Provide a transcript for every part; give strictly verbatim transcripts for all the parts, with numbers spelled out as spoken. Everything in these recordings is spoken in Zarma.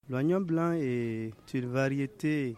L'oignon blanc est une variété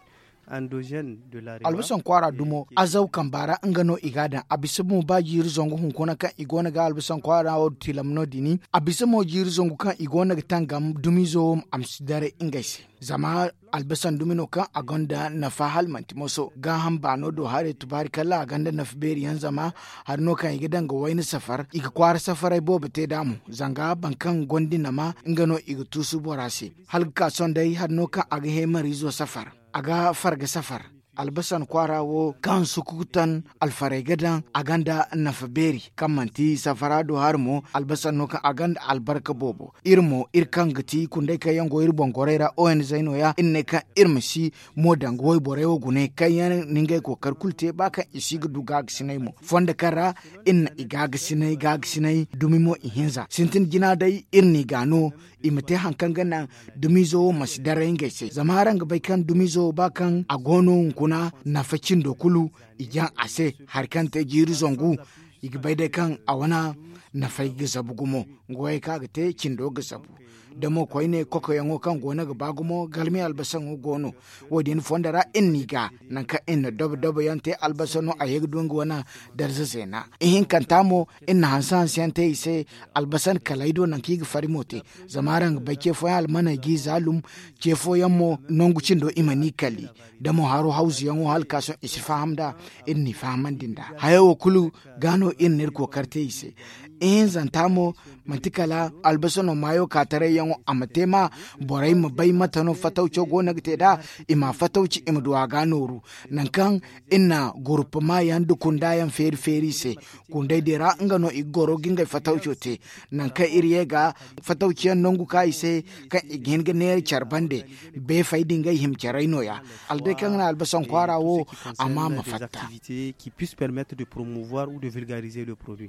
endogène de la rewa. Albasan kwaara dumo azaw kamba ra nga no i ga a daŋ a bisa mo ba jiiri zangu hunkuna kaŋ i go no ga albasan kwaara wo tilam no- din a bisa mo jiiri zangu kaŋ i go no ga tangam dumizo wo a ma si daray ngey se. Zama albasan dumi no kaŋ a gonda nafa hala manti moso gaaham baano do haray tubaari kala a gonda nafa beeri yaŋ zama hari no kaŋ i ga daŋ ga wayna safar i ga kwaara safaray boobo te nd'a mo. Zanga boro kaŋ gonda i nama nga no i ga tuusu bora se hala ga ka sohõ day hari no kaŋ a ga heemariizo safar, a ga farga safar. Albasan kwaara wo kaŋ sukutan alfarey ga daŋ a gonda nafa beeri kaŋ manti safara do hari mo. Albasan no kaŋ a gonda albarka boobo iri mo iri kaŋ ga ti kunday kaŋ yaŋ go iri boŋ gorey ra onz no- ya iri ne kaŋ iri ma si mo daŋ ga wayborey wo gune kaŋ yaŋ na ngey kookari kulu te ba kaŋ i si ga du gaagasinay mo fondo kaŋ ra iri na i gaagasinay gaagasinay dumi mo i hinza sintin jina day iri n'i ga no i ma te hari kaŋ ga naŋ dumiizo wo ma si daray ngey se zama araŋ ga bay kaŋ dumiizo wo ba kaŋ a go no hunkuna nafa cindo kulu i jaŋ a se hari kaŋ te jiiri zangu i ga bay day kaŋ a wane nafay ga zabu gumo. Nga wo ya kaŋ a ga te cindo ga zabu da mo koyne kokoyaŋo kaŋ go no ga ba gumo galmi albasaŋo go no. Wo- din fondo ra iri n'i ga nangu kaŋ iri na dobo dobo yaŋ te albasa no a ye ga du nga wane darza zeena. Ihinkanta mo iri na hanse hanse yaŋ te i se albasan kalay do nangu kaŋ i ga fari mo te. Zama araŋ ga bay ce fooyaŋ almaney g'i zaalum ce fooyaŋ mo nangu cindo i mana i kali da mo haro hawzuyaŋo hala ka sohõ i si faham nd'a. Iri n'i fahamandi nd'a hayo wo kulu ga no iri na iri kookari te i se. Ihinzanta mo manti kala albasa no maayo ka taray yaŋo a ma te ma borey ma bay mate no fatawco go no ga te nd'a i ma fatawci i ma du a ga nooru. Nangu kaŋ iri na gurpama yaŋ nda kunda yaŋ feeri feeri i se kunday din ra nga no i ga goro ga ngey fatawco te. Nangu kaŋ iri ye ga fatawci yaŋ nangu ka i se kaŋ i ga hin ga neera care bande beefey din ngey hima carey no- ya hala day kaŋ ga naŋ albasan kwaara wo a ma ma fatta. Qui puisse permettre de promouvoir ou de vulgariser le produit.